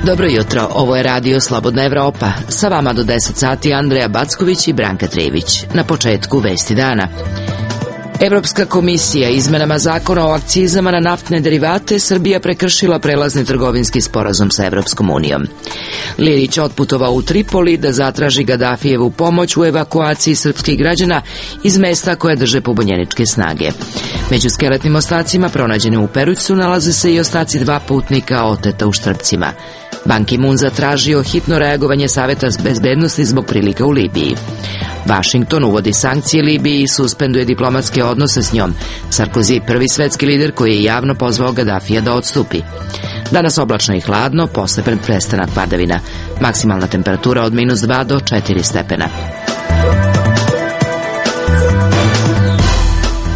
Dobro jutro, ovo je Radio Slobodna Evropa. Sa vama do 10 sati Andreja Backović i Branka Trević. Na početku vesti dana. Evropska komisija izmenama zakona o akcizama na naftne derivate Srbija prekršila prelazni trgovinski sporazum sa Evropskom unijom. Lilić otputovao u Tripoli da zatraži Gadafijevu pomoć u evakuaciji srpskih građana iz mesta koje drže pobunjeničke snage. Među skeletnim ostacima pronađenim u Perućcu nalaze se i ostaci 2 putnika oteta u Štrpcima. Ban Ki-moon zatražio hitno reagovanje Saveta bezbednosti zbog prilika u Libiji. Vašington uvodi sankcije Libiji i suspenduje diplomatske odnose s njom. Sarkozy, prvi svetski lider koji je javno pozvao Gadafija da odstupi. Danas oblačno i hladno, postepen prestanak padavina. Maksimalna temperatura od -2 do 4 stepena.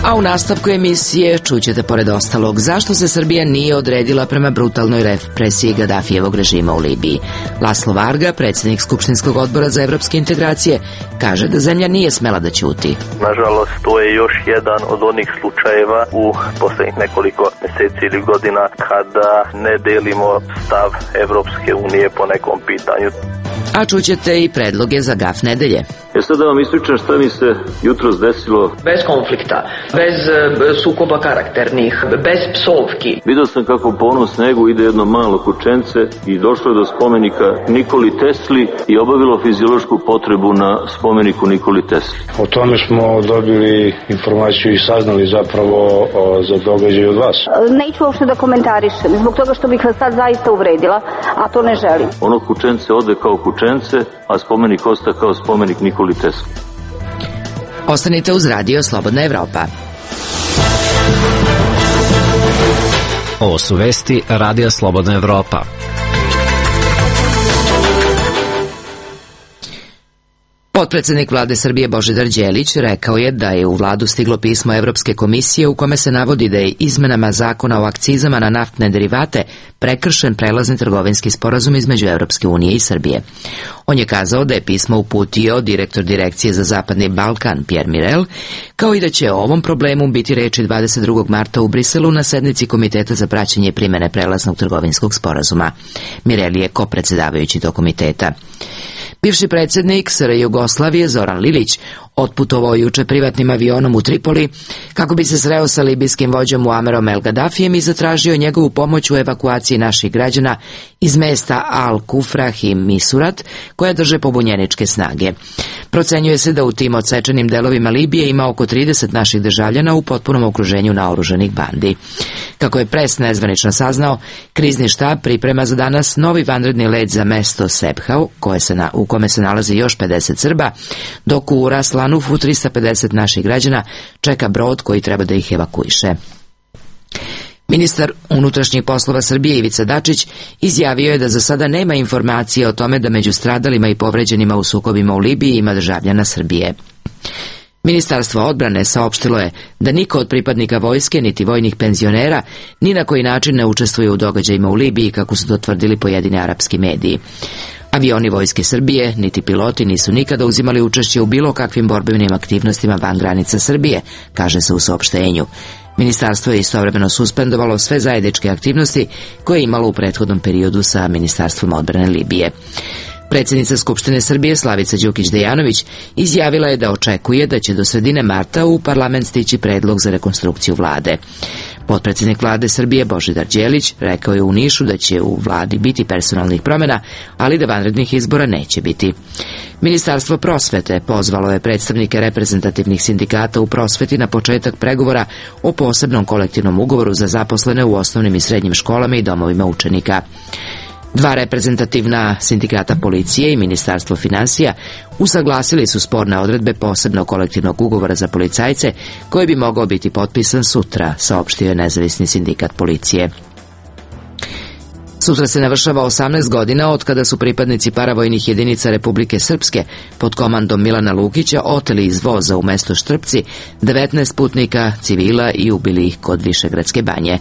A u nastavku emisije čućete pored ostalog zašto se Srbija nije odredila prema brutalnoj represiji Gadafijevog režima u Libiji. Laslo Varga, predsjednik Skupštinskog odbora za evropske integracije, kaže da zemlja nije smela da ćuti. Nažalost, to je još jedan od onih slučajeva u posljednjih nekoliko mjeseci ili godina kada ne delimo stav Evropske unije po nekom pitanju. A čućete i predloge za gaf nedelje. Sad da vam ispričam šta mi se jutros desilo. Bez konflikta, bez sukoba karakternih, bez psovki. Vidio sam kako po onom snegu ide jedno malo kućence i došlo je do spomenika Nikoli Tesli i obavilo fiziološku potrebu na spomeniku Nikoli Tesli. O tome smo dobili informaciju i saznali zapravo za događaj od vas. Neću uopšte da komentarišem, zbog toga što bih vas sad zaista uvredila, a to ne želim. Ono kućence ode kao kućence, a spomenik osta kao spomenik Nikoli Tesli. Ostanite uz Radio Slobodna Evropa. Ovo su vesti Radio Slobodna Evropa. Potpredsednik vlade Srbije Božidar Đelić rekao je da je u vladu stiglo pismo Evropske komisije u kome se navodi da je izmenama zakona o akcizama na naftne derivate prekršen prelazni trgovinski sporazum između Evropske unije i Srbije. On je kazao da je pismo uputio direktor Direkcije za Zapadni Balkan Pierre Mirel, kao i da će o ovom problemu biti reči 22. marta u Briselu na sednici Komiteta za praćenje primene prelaznog trgovinskog sporazuma. Mirel je kopredsedavajući tog komiteta. Bivši predsjednik SR Jugoslavije Zoran Lilić otputovao juče privatnim avionom u Tripoli kako bi se sreo sa libijskim vođom Muamerom El Gadafijem i zatražio njegovu pomoć u evakuaciji naših građana iz mesta Al-Kufrah i Misurat koje drže pobunjeničke snage. Procenjuje se da u tim odsečenim delovima Libije ima oko 30 naših državljana u potpunom okruženju naoružanih bandi. Kako je pres nezvanično saznao, krizni štab priprema za danas novi vanredni let za mesto Sebhau, u kome se nalazi još 50 Srba, dok u Ras Lanufu 350 naših građana čeka brod koji treba da ih evakuiše. Ministar unutrašnjih poslova Srbije Ivica Dačić izjavio je da za sada nema informacije o tome da među stradalima i povređenima u sukobima u Libiji ima državljana Srbije. Ministarstvo odbrane saopštilo je da niko od pripadnika vojske niti vojnih penzionera ni na koji način ne učestvuje u događajima u Libiji, kako su to tvrdili pojedini arapski mediji. Avioni vojske Srbije, niti piloti nisu nikada uzimali učešće u bilo kakvim borbenim aktivnostima van granica Srbije, kaže se u saopštenju. Ministarstvo je istovremeno suspendovalo sve zajedničke aktivnosti koje je imalo u prethodnom periodu sa Ministarstvom odbrane Libije. Predsjednica Skupštine Srbije Slavica Đukić-Dejanović izjavila je da očekuje da će do sredine marta u parlament stići predlog za rekonstrukciju vlade. Potpredsjednik vlade Srbije Božidar Đelić rekao je u Nišu da će u vladi biti personalnih promjena, ali da vanrednih izbora neće biti. Ministarstvo prosvete pozvalo je predstavnike reprezentativnih sindikata u prosveti na početak pregovora o posebnom kolektivnom ugovoru za zaposlene u osnovnim i srednjim školama i domovima učenika. 2 reprezentativna sindikata policije i Ministarstvo finansija usaglasili su sporne odredbe posebnog kolektivnog ugovora za policajce koji bi mogao biti potpisan sutra, saopštio je nezavisni sindikat policije. Sutra se navršava 18 godina od kada su pripadnici paravojnih jedinica Republike Srpske pod komandom Milana Lukića oteli iz voza u mesto Štrpci 19 putnika civila i ubili ih kod Višegradske banje.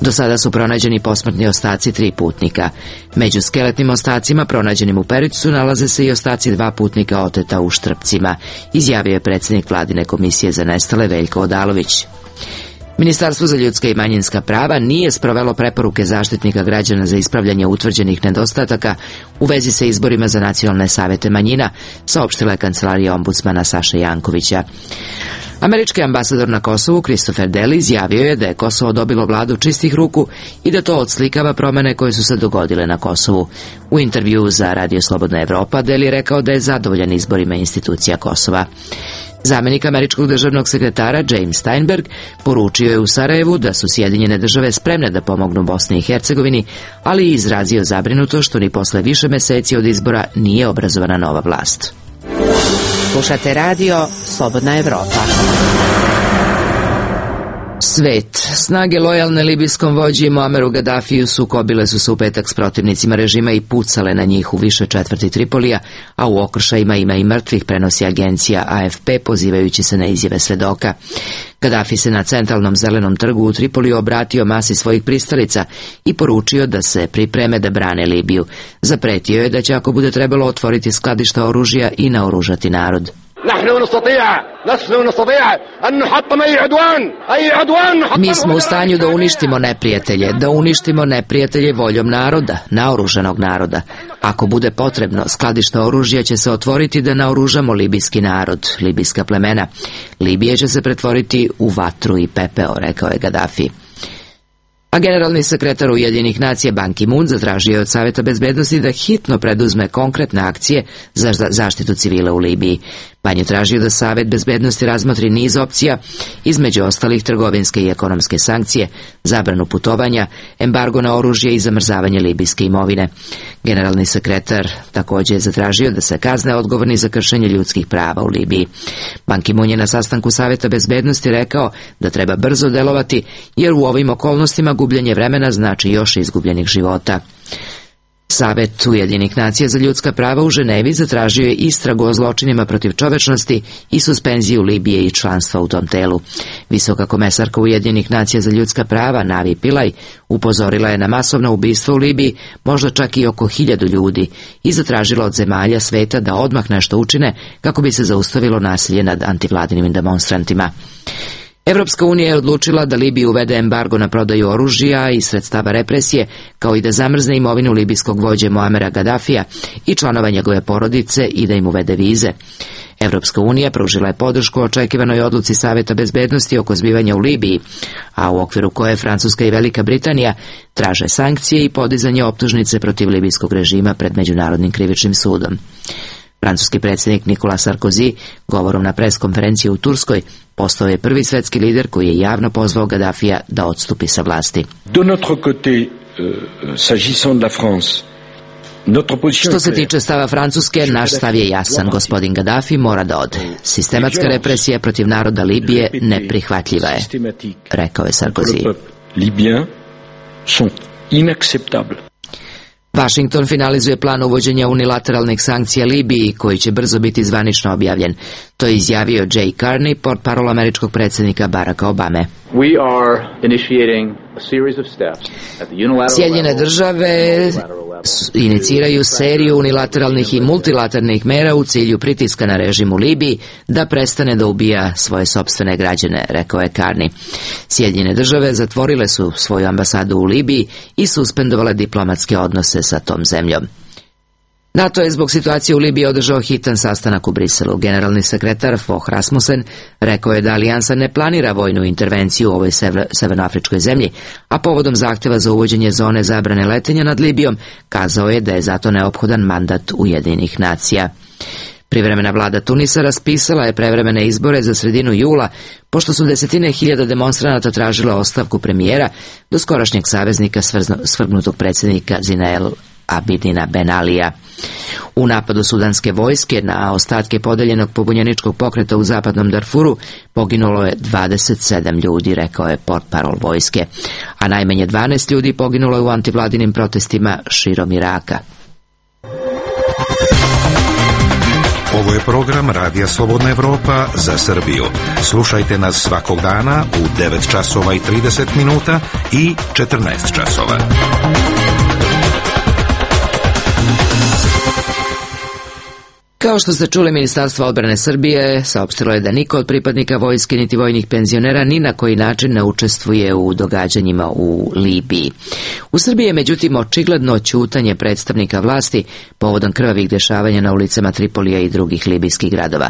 Do sada su pronađeni posmrtni ostaci 3 putnika. Među skeletnim ostacima pronađenim u Perućcu nalaze se i ostaci 2 putnika oteta u Štrpcima, izjavio je predsjednik vladine komisije za nestale Veljko Odalović. Ministarstvo za ljudska i manjinska prava nije sprovelo preporuke Zaštitnika građana za ispravljanje utvrđenih nedostataka u vezi sa izborima za nacionalne savete manjina, saopštila je kancelarija ombudsmana Saše Jankovića. Američki ambasador na Kosovu Christopher Deli izjavio je da je Kosovo dobilo vladu čistih ruku i da to odslikava promene koje su se dogodile na Kosovu. U intervjuu za Radio Slobodna Evropa Deli je rekao da je zadovoljan izborima institucija Kosova. Zamenik američkog državnog sekretara James Steinberg poručio je u Sarajevu da su Sjedinjene države spremne da pomognu Bosni i Hercegovini, ali i izrazio zabrinutost što ni posle više meseci od izbora nije obrazovana nova vlast. Slušate radio Slobodna Evropa. Svet. Snage lojalne libijskom vođi Muameru Gadafiju sukobile su se u petak s protivnicima režima i pucale na njih u više četvrti Tripolija, a u okršajima ima i mrtvih, prenosi agencija AFP pozivajući se na izjave svedoka. Gadafi se na centralnom zelenom trgu u Tripoliju obratio masi svojih pristalica i poručio da se pripreme da brane Libiju. Zapretio je da će, ako bude trebalo, otvoriti skladišta oružja i naoružati narod. Mi smo u stanju da uništimo neprijatelje voljom naroda, naoružanog naroda. Ako bude potrebno, skladišta oružja će se otvoriti da naoružamo libijski narod, libijska plemena. Libija će se pretvoriti u vatru i pepeo, rekao je Gadafi. A generalni sekretar Ujedinjenih nacija Ban Ki-moon zatražio je od Saveta bezbednosti da hitno preduzme konkretne akcije za zaštitu civila u Libiji. Ban je tražio da Savet bezbednosti razmotri niz opcija, između ostalih trgovinske i ekonomske sankcije, zabranu putovanja, embargo na oružje i zamrzavanje libijske imovine. Generalni sekretar također je zatražio da se kazne odgovorni za kršenje ljudskih prava u Libiji. Ban Ki-moon je na sastanku Saveta bezbednosti rekao da treba brzo delovati, jer u ovim okolnostima gubljenje vremena znači još izgubljenih života. Savet Ujedinjenih nacija za ljudska prava u Ženevi zatražio je istragu o zločinima protiv čovečnosti i suspenziju Libije i članstva u tom telu. Visoka komesarka Ujedinjenih nacija za ljudska prava Navi Pillay upozorila je na masovno ubistvo u Libiji, možda čak i oko 1000 ljudi, i zatražila od zemalja sveta da odmah nešto učine kako bi se zaustavilo nasilje nad antivladinim demonstrantima. Evropska unija je odlučila da Libiji uvede embargo na prodaju oružja i sredstava represije, kao i da zamrzne imovinu libijskog vođe Muamera Gadafija i članova njegove porodice i da im uvede vize. Evropska unija pružila je podršku očekivanoj odluci Saveta bezbednosti oko zbivanja u Libiji, a u okviru koje Francuska i Velika Britanija traže sankcije i podizanje optužnice protiv libijskog režima pred Međunarodnim krivičnim sudom. Francuski predsjednik Nicolas Sarkozy govorom na preskonferenciji u Turskoj postao je prvi svetski lider koji je javno pozvao Gadafija da odstupi sa vlasti. De notre côté, s'agissant de la France, što se tiče stava Francuske, naš stav je jasan. Gospodin Gadafi mora da ode. Sistematska represija protiv naroda Libije neprihvatljiva je, rekao je Sarkozy. Libyens sont inacceptables. Washington finalizuje plan uvođenja unilateralnih sankcija Libiji, koji će brzo biti zvanično objavljen. To je izjavio Jay Carney, portparol američkog predsjednika Baracka Obame. Sjedinjene države iniciraju seriju unilateralnih i multilateralnih mera u cilju pritiska na režim u Libiji da prestane da ubija svoje sopstvene građane, rekao je Carney. Sjedinjene države zatvorile su svoju ambasadu u Libiji i suspendovale diplomatske odnose sa tom zemljom. NATO je zbog situacije u Libiji održao hitan sastanak u Briselu. Generalni sekretar Fogh Rasmussen rekao je da alijansa ne planira vojnu intervenciju u ovoj severnoafričkoj zemlji, a povodom zahtjeva za uvođenje zone zabrane letenja nad Libijom kazao je da je zato neophodan mandat Ujedinjenih nacija. Privremena vlada Tunisa raspisala je prevremene izbore za sredinu jula, pošto su desetine hiljada demonstranata tražile ostavku premijera, doskorašnjeg saveznika svrgnutog predsjednika Zine Abidina Ben Alija. U napadu sudanske vojske na ostatke podeljenog pobunjeničkog pokreta u zapadnom Darfuru poginulo je 27 ljudi, rekao je portparol vojske, a najmanje 12 ljudi poginulo je u antivladinim protestima širom Iraka. Ovo je program Radija Slobodna Evropa za Srbiju. Slušajte nas svakog dana u 9 časova i 30 minuta i 14 časova. Kao što ste čuli, Ministarstvo odbrane Srbije saopštilo je da niko od pripadnika vojske niti vojnih penzionera ni na koji način ne učestvuje u događanjima u Libiji. U Srbiji je međutim očigledno ćutanje predstavnika vlasti povodom krvavih dešavanja na ulicama Tripolija i drugih libijskih gradova.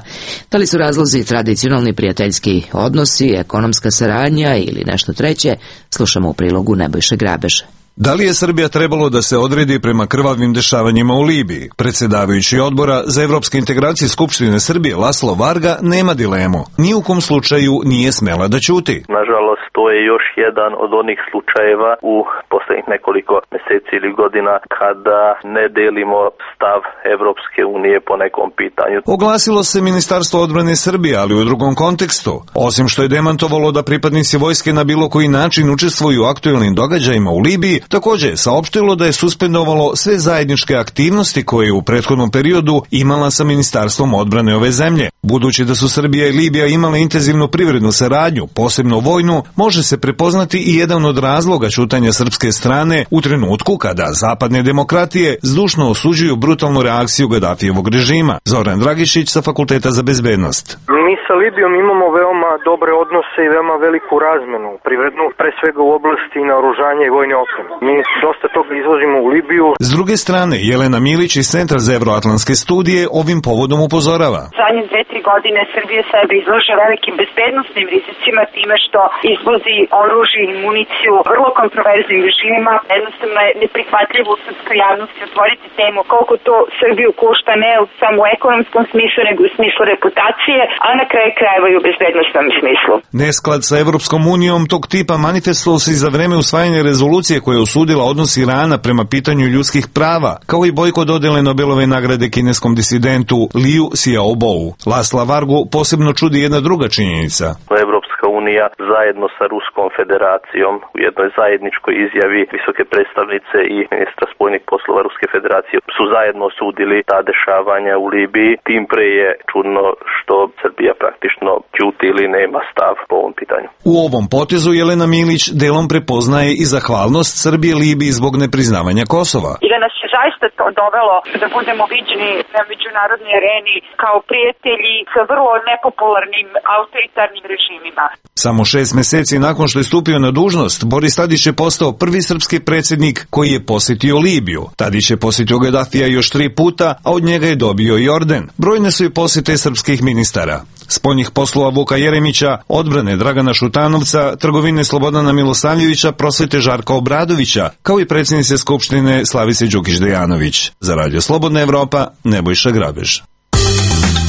Da li su razlozi tradicionalni prijateljski odnosi, ekonomska saradnja ili nešto treće, slušamo u prilogu Nebojše Grabeža. Da li je Srbija trebalo da se odredi prema krvavim dešavanjima u Libiji? Predsjedavajući odbora za evropske integracije Skupštine Srbije Laslo Varga nema dilemu. Ni u kom slučaju nije smela da ćuti. Nažalost, to je još jedan od onih slučajeva u posljednjih nekoliko mjeseci ili godina kada ne delimo stav Evropske unije po nekom pitanju. Oglasilo se Ministarstvo odbrane Srbije, ali u drugom kontekstu. Osim što je demantovalo da pripadnici vojske na bilo koji način učestvuju u aktuelnim događajima u Libiji, također je saopštilo da je suspendovalo sve zajedničke aktivnosti koje je u prethodnom periodu imala sa Ministarstvom odbrane ove zemlje. Budući da su Srbija i Libija imale intenzivnu privrednu saradnju, posebno vojnu, može se prepoznati i jedan od razloga ćutanja srpske strane u trenutku kada zapadne demokratije zdušno osuđuju brutalnu reakciju Gadafijevog režima. Zoran Dragišić sa Fakulteta za bezbednost. Mi sa Libijom imamo veoma dobre odnose i veoma veliku razmenu, privrednu, pre svega u oblasti naoružanja i vojne opreme. Mi dosta toga izvozimo u Libiju. S druge strane, Jelena Milić iz Centra za evroatlantske studije ovim povodom upozorava. Zadnje 2-3 godine Srbija sebe izlaže velikim bezbednosnim rizicima time što izvozi oružje i municiju vrlo kontroverznim režimima. Jednostavno je neprihvatljivo u srpskoj javnosti otvoriti temu koliko to Srbiju košta ne samo u ekonomskom smislu nego u smislu reputacije, a na kraju krajeva i u bezbednostnom smislu. Nesklad sa Evropskom unijom tog tipa manifestovao se i za vreme usvajanja rezolucije koja je osudila odnos Irana prema pitanju ljudskih prava, kao i bojkot dodele Nobelove nagrade kineskom disidentu Liu Xiaobou. Lasla Vargu posebno čudi jedna druga činjenica. Evropska unija zajedno sa Ruskom federacijom u jednoj zajedničkoj izjavi visoke predstavnice i ministra spoljnih poslova Ruske federacije su zajedno osudili ta dešavanja u Libiji. Tim pre je čudno što Srbija praktično ćuti ili nema stav po ovom pitanju. U ovom potezu Jelena Milić delom prepoznaje i zahvalnost Srbije Libiji zbog nepriznavanja Kosova. I da nas je zaista to dovelo da budemo viđeni na međunarodnoj areni kao prijatelji sa vrlo nepopularnim autoritarnim režimima. Samo 6 meseci nakon što je stupio na dužnost, Boris Tadić je postao prvi srpski predsjednik koji je posjetio Libiju. Tadić je posjetio Gadafija još 3 puta, a od njega je dobio i orden. Brojne su i posjete srpskih ministara. Spoljnih poslova Vuka Jeremića, odbrane Dragana Šutanovca, trgovine Slobodana Milosavljevića, prosvete Žarka Obradovića, kao i predsjednice Skupštine Slavice Đukić-Dejanović. Za Radio Slobodna Evropa, Nebojša Grabež.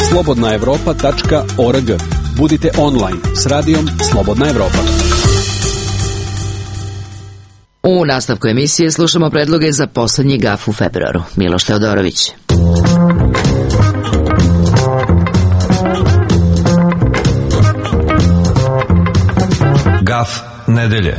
slobodnaevropa.org. Budite online s radijom Slobodna Evropa. U nastavku emisije slušamo predloge za poslednji gaf u februaru. Miloš Teodorović. Gaf nedelje.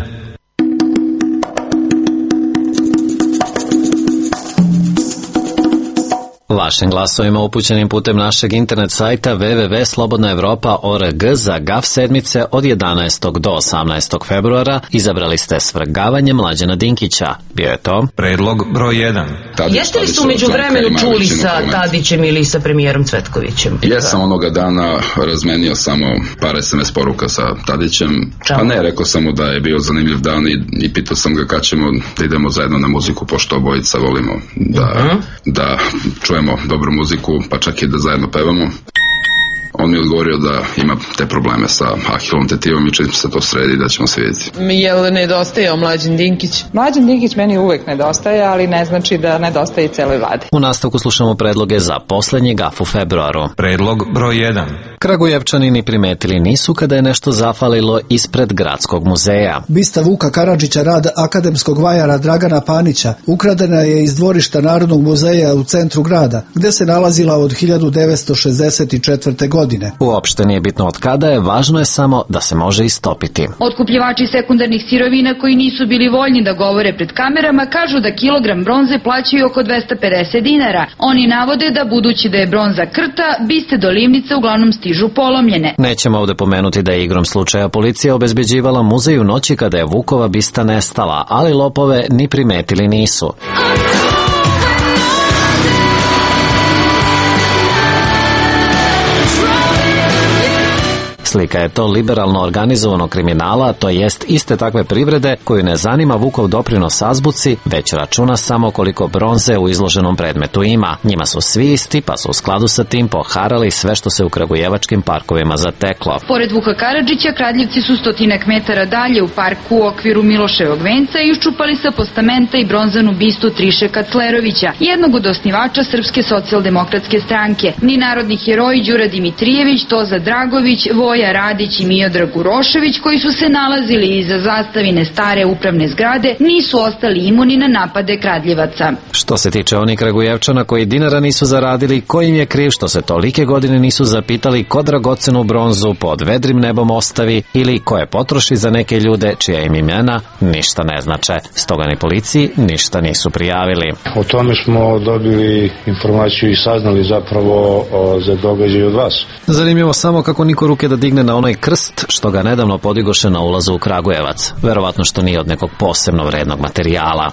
Vašim glasovima upućenim putem našeg internet sajta www.slobodnaevropa.org za GAF sedmice od 11. do 18. februara izabrali ste svrgavanje Mlađana Dinkića. Bio je to predlog broj 1. Jeste li su među vremenu čuli sa Tadićem ili sa premijerom Cvetkovićem? Jesam onoga dana razmenio samo par SMS poruka sa Tadićem. Pa ne, rekao sam mu da je bio zanimljiv dan i pitao sam ga kad ćemo da idemo zajedno na muziku, pošto obojica volimo da čujemo dobru muziku, pa čak i da zajedno pevamo. On mi je odgovorio da ima te probleme sa ahilom tetivom i čim se to sredi da ćemo se vidjeti. Jel nedostajao Mlađan Dinkić? Mlađan Dinkić meni uvek nedostaje, ali ne znači da nedostaje i celoj vladi. U nastavku slušamo predloge za poslednji gaf u februaru. Predlog broj 1. Kragujevčani ni primetili nisu kada je nešto zafalilo ispred Gradskog muzeja. Bista Vuka Karadžića, rad akademskog vajara Dragana Panića, ukradena je iz dvorišta Narodnog muzeja u centru grada, gde se nalazila od 1964. godine. Uopšte nije bitno od kada je, važno je samo da se može istopiti. Otkupljivači sekundarnih sirovina koji nisu bili voljni da govore pred kamerama kažu da kilogram bronze plaćaju oko 250 dinara. Oni navode da budući da je bronza krta, biste do livnice uglavnom stižu polomljene. Nećemo ovde pomenuti da je igrom slučaja policija obezbeđivala muzej u noći kada je Vukova bista nestala, ali lopove ni primetili nisu. Slika je to liberalno organizovano kriminala, to jest iste takve privrede koju ne zanima Vukov doprinos azbuci, već računa samo koliko bronze u izloženom predmetu ima. Njima su svi isti, pa su u skladu sa tim poharali sve što se u kragujevačkim parkovima zateklo. Pored Vuka Karadžića, kradljivci su 100 metara dalje u parku u okviru Miloševog venca iščupali sa postamenta i bronzanu bistu Triše Kaclerovića, jednog od osnivača Srpske socijaldemokratske stranke. Ni narodni heroji Đura Dimitrijević, Toza Dragović, Voja Radić i Miodrag Urošević, koji su se nalazili iza zastavine stare upravne zgrade, nisu ostali imuni na napade kradljivaca. Što se tiče onih Kragujevčana koji dinara nisu zaradili, ko im je kriv što se tolike godine nisu zapitali ko dragocenu bronzu pod vedrim nebom ostavi ili ko je potroši za neke ljude čija im imena ništa ne znače. Stoga ni policiji ništa nisu prijavili. O tome smo dobili informaciju i saznali zapravo za događaj od vas. Zanimljivo samo kako niko ruke da digne na onaj krst što ga nedavno podigoše na ulazu u Kragujevac. Verovatno što nije od nekog posebno vrednog materijala.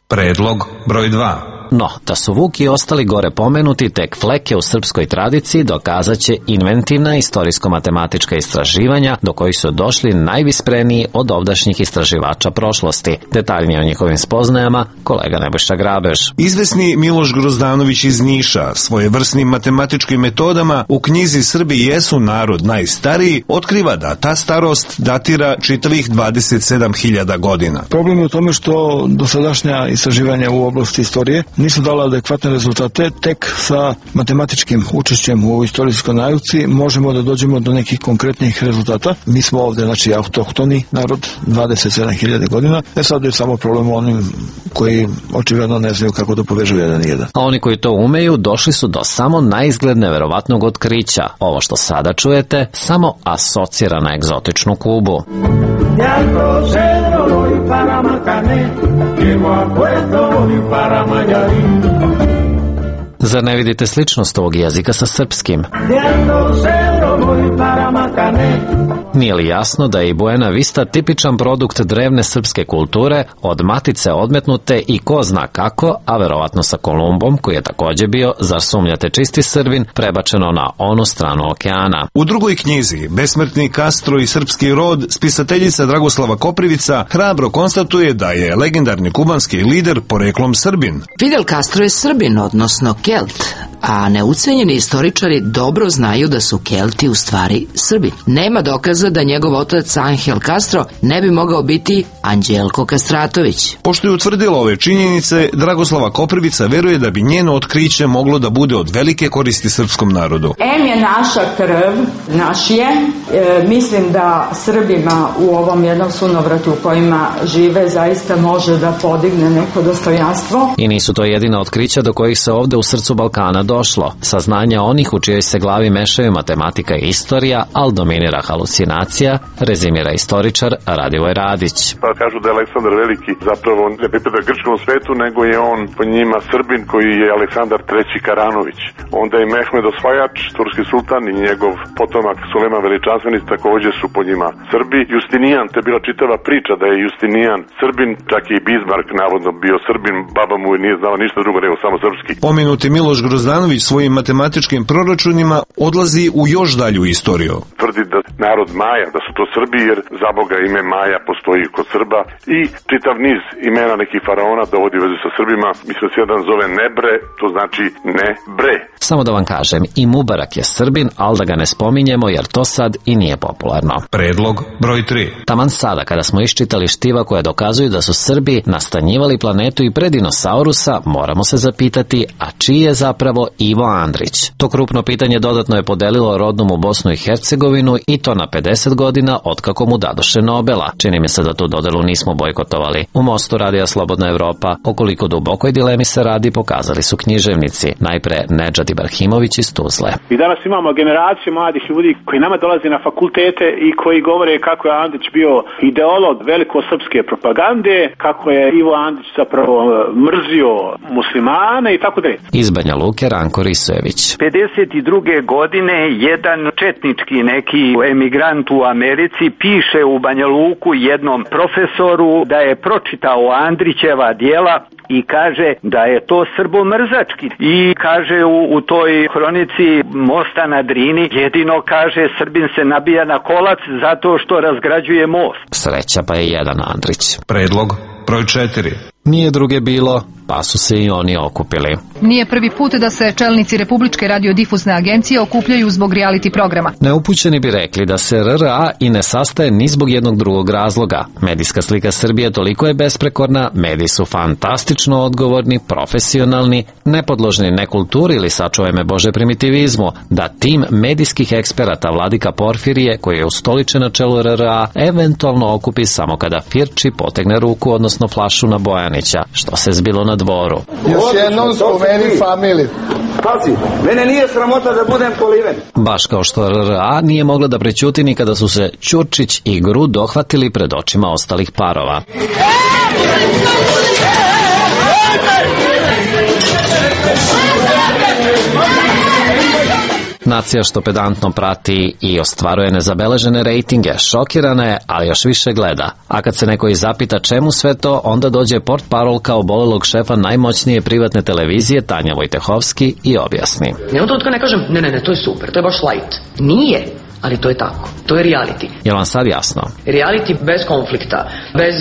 Predlog broj 2. No, da su Vuk i ostali gore pomenuti tek fleke u srpskoj tradiciji dokazat će inventivna istorijsko-matematička istraživanja do kojih su došli najvispreniji od ovdašnjih istraživača prošlosti. Detaljnije o njihovim spoznajama kolega Nebojša Grabež. Izvesni Miloš Grozdanović iz Niša svojevrsnim matematičkim metodama u knjizi Srbi jesu narod najstariji otkriva da ta starost datira čitavih 27.000 godina. Problem je u tome što dosadašnja istraživanja u oblasti istorije nisu dala adekvatne rezultate, tek sa matematičkim učešćem u istorijskoj nauci možemo da dođemo do nekih konkretnih rezultata. Mi smo ovde, znači, autohtoni narod, 27.000 godina. Sad je samo problem onim koji očigledno ne znaju kako da povežu jedan i jedan. A oni koji to umeju došli su do samo naizgled neverovatnog otkrića. Ovo što sada čujete samo asocira na egzotičnu Kubu. Zar ne vidite sličnost ovog jezika sa srpskim? Nije li jasno da je i Buena Vista tipičan produkt drevne srpske kulture, od matice odmetnute i ko zna kako, a verovatno sa Kolumbom, koji je takođe bio, zar sumnjate čisti Srbin, prebačeno na onu stranu okeana. U drugoj knjizi, Besmrtni Castro i srpski rod, spisateljica Dragoslava Koprivica hrabro konstatuje da je legendarni kubanski lider poreklom Srbin. Fidel Castro je Srbin, odnosno Kelt, a neucenjeni istoričari dobro znaju da su Kelti u stvari Srbi. Nema dokaza da njegov otac Angel Castro ne bi mogao biti Anđelko Kastratović. Pošto je utvrdila ove činjenice, Dragoslava Koprivica veruje da bi njeno otkriće moglo da bude od velike koristi srpskom narodu. M je naša krv, naš je. Mislim da Srbima u ovom jednom sunovratu u kojima žive zaista može da podigne neko dostojanstvo. I nisu to jedina otkrića do kojih se ovde u srcu Balkana došlo. Saznanja onih u čijoj se glavi mešaju matematika i istorija, ali dominira halucinacija, rezimira istoričar Radivoj Radić. Pa kažu da je Aleksandar Veliki zapravo ne pripada grčkom svetu, nego je on po njima Srbin koji je Aleksandar III. Karanović. Onda je Mehmed Osvajač, turski sultan, i njegov potomak Sulejman Veličanstveni takođe su po njima Srbi. Justinijan, to je bila čitava priča da je Justinijan Srbin, čak i Bismarck navodno bio Srbin, baba mu nije znala ništa drugo nego samo srpski. Pomenuti Miloš Grozdanović svojim matematičkim proračunima odlazi u još dalju istoriju. Tvrdi da narod Maja, da su to Srbi, jer za Boga ime Maja postoji kod Srba i čitav niz imena nekih faraona dovodi u vezu sa Srbima. Mislim da se jedan zove Nebre, to znači ne bre. Samo da vam kažem, i Mubarak je Srbin, ali da ga ne spominjemo jer to sad i nije popularno. Predlog broj 3. Taman sada kada smo iščitali štiva koja dokazuju da su Srbi nastanjivali planetu i pre dinosaurusa, moramo se zapitati, a čiji je zapravo Ivo Andrić? To krupno pitanje dodatno je podelilo rodnom u Bosnu i Hercegovinu i to na 50 godina otkako mu dadoše Nobela. Čini mi se da tu dodelu nismo bojkotovali. U Mostu Radija Slobodna Evropa, o koliko dubokoj dilemi se radi, pokazali su književnici. Najpre Nedžad Ibrahimović iz Tuzle. I danas imamo generaciju mladih ljudi koji nama dolaze na fakultete i koji govore kako je Andrić bio ideolog velikosrpske propagande, kako je Ivo Andrić zapravo mrzio muslimane i tako dalje. Iz Banja Luke Branko Risojević. 52. godine jedan četnički neki emigrant u Americi piše u Banja Luku jednom profesoru da je pročitao Andrićeva djela i kaže da je to srbomrzački. I kaže u toj hronici Mosta na Drini, jedino kaže Srbin se nabija na kolac zato što razgrađuje most. Sreća pa je jedan Andrić. Predlog broj 4. Nije druge bilo, pa su se i oni okupili. Nije prvi put da se čelnici Republičke radiodifuzne agencije okupljaju zbog reality programa. Neupućeni bi rekli da se RRA i ne sastaje ni zbog jednog drugog razloga. Medijska slika Srbije toliko je besprekorna, mediji su fantastično odgovorni, profesionalni, nepodložni nekulturi ili, sačuvaj me Bože, primitivizmu, da tim medijskih eksperata Vladika Porfirije, koji je ustoličen na čelu RRA, eventualno okupi samo kada Firči potegne ruku, odnosno flašu na Bojanića, što se zbilo na dvoru. Još jednom spomeni familiju. Pazi, mene nije sramota da budem Poliven. Baš kao što RRA nije mogla da prećuti ni kada su se Ćurčić i Gru dohvatili pred očima ostalih parova. Nacija što pedantno prati i ostvaruje nezabeležene rejtinge, šokirana je, ali još više gleda. A kad se neko i zapita čemu sve to, onda dođe portparolka obolelog šefa najmoćnije privatne televizije, Tanja Vojtehovski, i objasni. Nema to ne kažem, ne, to je super, to je baš light. Nije. Ali to je tako. To je reality. Je vam sad jasno? Reality bez konflikta, bez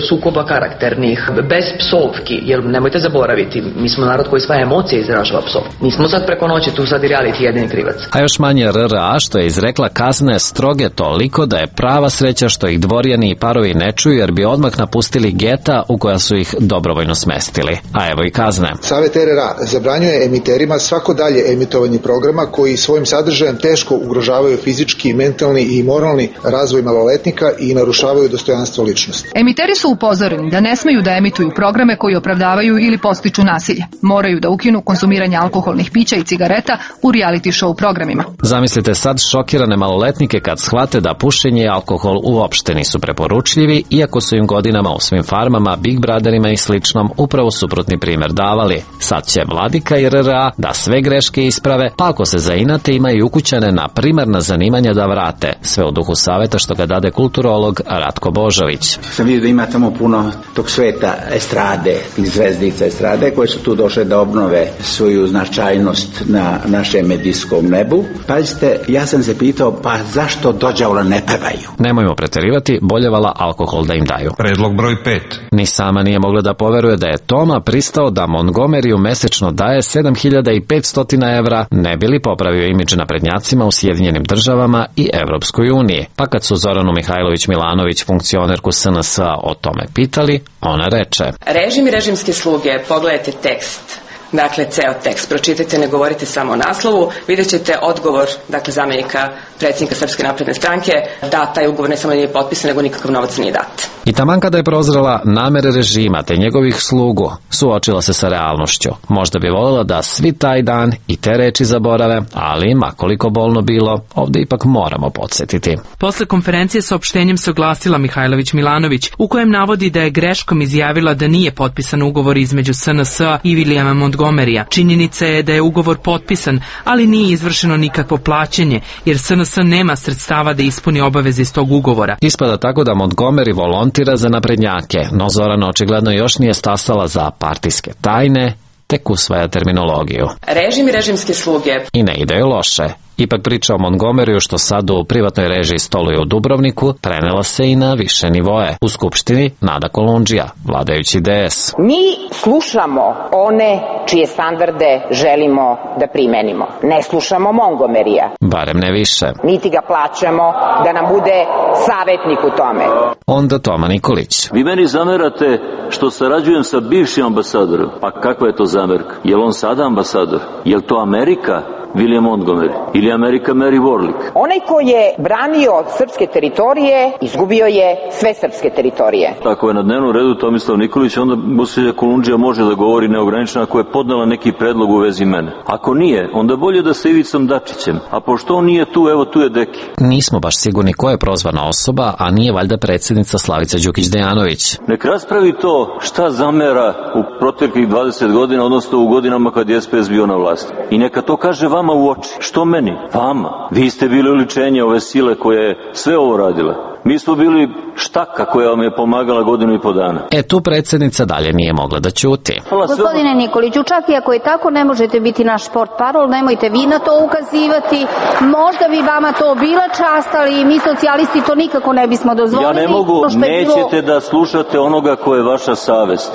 sukoba karakternih, bez psovki, jer nemojte zaboraviti, mi smo narod koji sva emocije izražava psov. Nismo sad preko noći tu sad i reality jedini krivac. A još manje RRA što je izrekla kazne stroge toliko da je prava sreća što ih dvorjani i parovi ne čuju, jer bi odmah napustili geta u koja su ih dobrovoljno smestili. A evo i kazne. Savet RRA zabranjuje emiterima svako dalje emitovanje programa koji svojim sadržajem teško ugrožavaju fizički, mentalni i moralni razvoj maloletnika i narušavaju dostojanstvo ličnosti. Emiteri su upozoreni da ne smeju da emituju programe koji opravdavaju ili podstiču nasilje. Moraju da ukinu konzumiranje alkoholnih pića i cigareta u reality show programima. Zamislite sad šokirane maloletnike kad shvate da pušenje i alkohol uopšte nisu preporučljivi, iako su im godinama u svim farmama, Big Brotherima i sličnom upravo suprotni primer davali. Sad će Vladika i RRA da sve greške isprave, pa ako se zainate imaju ukućane na primarna zanimanja da vrate, sve u duhu saveta što ga dade kulturolog Ratko Božović. Sam vidio da ima tamo puno tog sveta estrade, zvezdica estrade koje su tu došle da obnove svoju značajnost na našem medijskom nebu. Pazite, ja sam se pitao, pa zašto dođavola ne pevaju? Nemojmo preterivati, boljevala alkohol da im daju. Predlog broj 5. Ni sama nije mogla da poveruje da je Toma pristao da Montgomeryu mesečno daje 7.500 evra, ne bi li popravio imidž naprednjacima u Sjedinjenim državama i Evropskoj uniji. Pa kad su Zoranu Mihajlović Milanović, funkcionerku SNS-a, o tome pitali, ona reče: Režim i režimske sluge, pogledajte tekst. Dakle, ceo tekst. Pročitajte, ne govorite samo o naslovu. Vidjet ćete odgovor, dakle, zamjenika predsjednika Srpske napredne stranke, da taj ugovor ne samo nije potpisan, nego nikakav novac nije dat. I taman kada je prozrela namere režima te njegovih slugu, suočila se sa realnošću. Možda bi voljela da svi taj dan i te reči zaborave, ali makoliko bolno bilo, ovde ipak moramo podsjetiti. Posle konferencije saopštenjem se oglasila Mihajlović Milanović, u kojem navodi da je greškom izjavila da nije potpisan ugovor između SNS-a i Vilijama Montgomerya. Činjenica je da je ugovor potpisan, ali nije izvršeno nikakvo plaćanje, jer SNS nema sredstava da ispuni obaveze iz tog ugovora. Ispada tako da Montgomery volontira za naprednjake, no Zorana očigledno još nije stasala za partijske tajne, tek usvaja terminologiju. Režim i režimske sluge. I ne ide joj loše. Ipak priča o Montgomeryu što sad u privatnoj režiji stoluje u Dubrovniku prenela se i na više nivoe. U Skupštini Nada Kolundžija, vladajući DS. Mi slušamo one čije standarde želimo da primenimo. Ne slušamo Montgomeryja. Barem ne više. Niti ga plaćamo da nam bude savjetnik u tome. Onda Toma Nikolić. Vi meni zamerate što sarađujem sa bivšim ambasadorom. Pa kakva je to zamerka? Je li on sada ambasador? Je li to Amerika? William Montgomery ili Amerika Mary Warlick. Onaj ko je branio srpske teritorije, izgubio je sve srpske teritorije. Ako je na dnevnom redu Tomislav Nikolić, onda Bosilja Kolundžija može da govori neograničeno ako je podnela neki predlog u vezi mene. Ako nije, onda bolje da sa Ivicom Dačićem. A pošto on nije tu, evo tu je Deki. Nismo baš sigurni ko je prozvana osoba, a nije valjda predsjednica Slavica Đukić-Dejanović. Nek raspravi to šta zamera u proteklih 20 godina, odnosno u godinama kad je SPS bio na vlasti. I neka to kaže vama u oči. Što meni? Vama. Vi ste bili oličenje ove sile koja je sve ovo radila. Mi smo bili štaka koja vam je pomagala godinu i po dana. Tu predsjednica dalje nije mogla da ćuti. Gospodine Nikoliću, čak i ako je tako, ne možete biti naš sport parol, nemojte vi na to ukazivati. Možda bi vama to bila čast, ali mi socijalisti to nikako ne bismo dozvolili. Ja ne mogu, nećete da slušate onoga ko je vaša savest.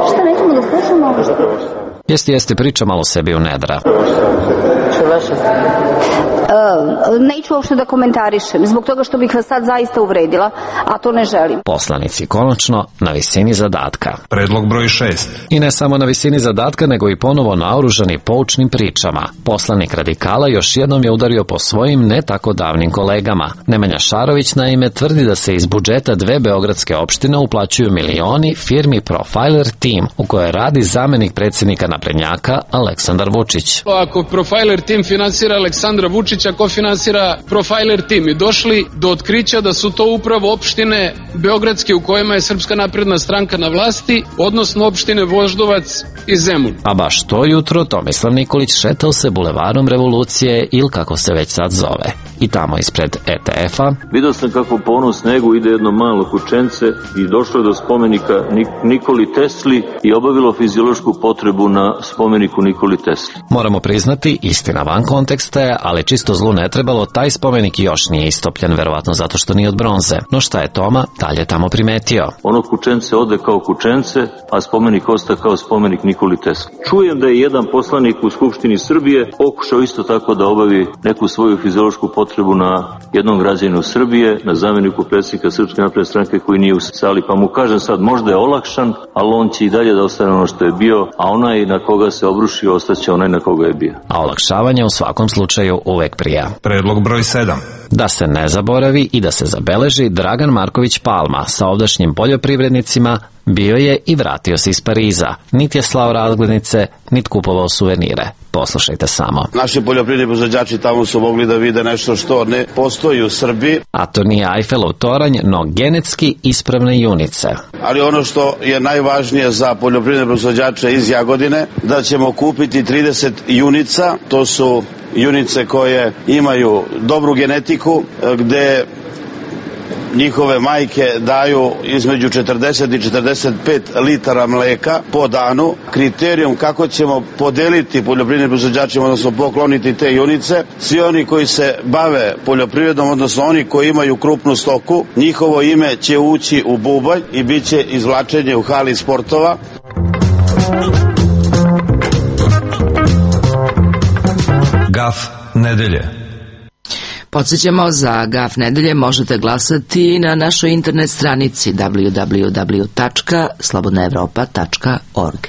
Šta nećemo da slušamo? Jeste, priča malo sebi u nedra. Neću uopšte da komentarišem, zbog toga što bih vas sad zaista uvredila, a to ne želim. Poslanici konačno na visini zadatka. Predlog broj 6. I ne samo na visini zadatka, nego i ponovo naoružani poučnim pričama. Poslanik Radikala još jednom je udario po svojim ne tako davnim kolegama. Nemanja Šarović naime tvrdi da se iz budžeta 2 beogradske opštine uplaćuju milioni firmi Profiler Team, u kojoj radi zamenik predsjednika naprednjaka Aleksandar Vučić. Ako Profiler Team finansira Aleksandra Vučića, ko finansira Profiler Team? I došli do otkrića da su to upravo opštine beogradske u kojima je Srpska napredna stranka na vlasti, odnosno opštine Voždovac i Zemun. A baš to jutro Tomislav Nikolić šetao se bulevarom Revolucije ili kako se već sad zove. I tamo ispred ETF-a vidio sam kako po onom snegu ide jedno malo kućence i došlo je do spomenika Nikoli Tesli i obavilo fiziološku potrebu na spomeniku Nikoli Tesli. Moramo priznati, istina van konteksta je, ali čisto zlu ne trebalo, taj spomenik još nije istopljen, verovatno zato što nije od bronze. No šta je Toma dalje tamo primetio? Ono kućence ode kao kućence, a spomenik osta kao spomenik Nikoli Tesli. Čujem da je jedan poslanik u Skupštini Srbije pokušao isto tako da obavi neku svoju fiziološku potrebu na jednom građaninu Srbije, na zamjeniku predsjednika Srpske napredne stranke koji nije u sali, pa mu kažem sad možda je olakšan, ali on će i dalje da ostane ono što je bio, a onaj na koga se obrušio ostaće onaj na koga je bio. A olakšavanje u svakom slučaju uvek prija. Predlog broj 7. Da se ne zaboravi i da se zabeleži, Dragan Marković Palma sa ovdašnjim poljoprivrednicima bio je i vratio se iz Pariza. Niti je slao razglednice, niti kupovao suvenire. Poslušajte samo. Naši poljoprivredni proizvođači tamo su mogli da vide nešto što ne postoji u Srbiji. A to nije Eifelov toranj, no genetski ispravne junice. Ali ono što je najvažnije za poljoprivredne proizvođače iz Jagodine, da ćemo kupiti 30 junica, to su junice koje imaju dobru genetiku, gde njihove majke daju između 40 i 45 litara mleka po danu. Kriterijum kako ćemo podeliti poljoprivrednim proizvođačima, odnosno pokloniti te junice, svi oni koji se bave poljoprivredom, odnosno oni koji imaju krupnu stoku, njihovo ime će ući u bubanj i bit će izvlačenje u hali sportova. Gaf nedelje. Podsjećamo, za Gaf nedelje možete glasati na našoj internet stranici www.slobodnaevropa.org.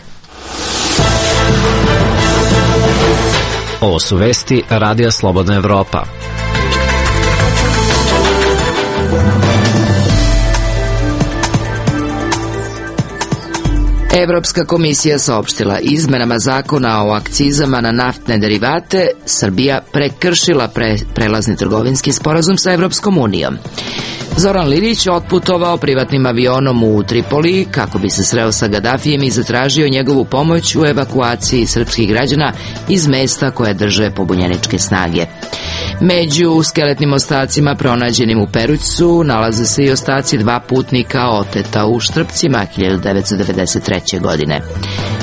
Ovo su vesti Radija Slobodna Evropa. Evropska komisija saopštila izmenama zakona o akcizama na naftne derivate, Srbija prekršila prelazni trgovinski sporazum sa Evropskom unijom. Zoran Lilić otputovao privatnim avionom u Tripoli kako bi se sreo sa Gadafijem i zatražio njegovu pomoć u evakuaciji srpskih građana iz mesta koje drže pobunjeničke snage. Među skeletnim ostacima pronađenim u Perućcu nalaze se i ostaci 2 putnika oteta u Štrpcima 1993. godine.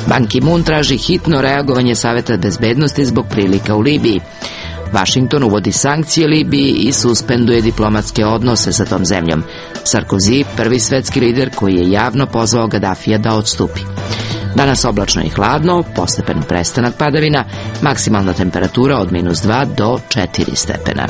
Ban Ki-moon traži hitno reagovanje Saveta bezbednosti zbog prilika u Libiji. Washington uvodi sankcije Libiji i suspenduje diplomatske odnose sa tom zemljom. Sarkozy, prvi svetski lider koji je javno pozvao Gadafija da odstupi. Danas oblačno i hladno, postepen prestanak padavina, maksimalna temperatura od -2 do 4 stepena.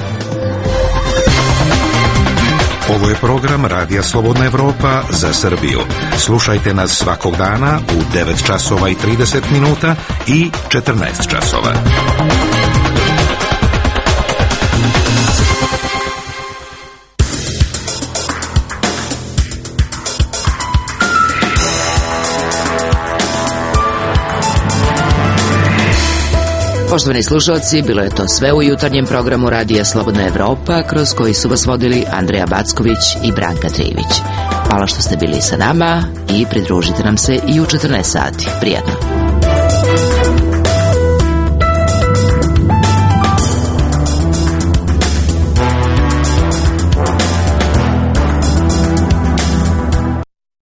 Ovo je program Radija Slobodna Evropa za Srbiju. Slušajte nas svakog dana u 9 časova i 30 minuta i 14 časova. Poštovani slušalci, bilo je to sve u jutarnjem programu Radija Slobodna Evropa, kroz koji su vas vodili Andreja Backović i Branka Trivić. Hvala što ste bili sa nama i pridružite nam se i u 14 sati. Prijatno.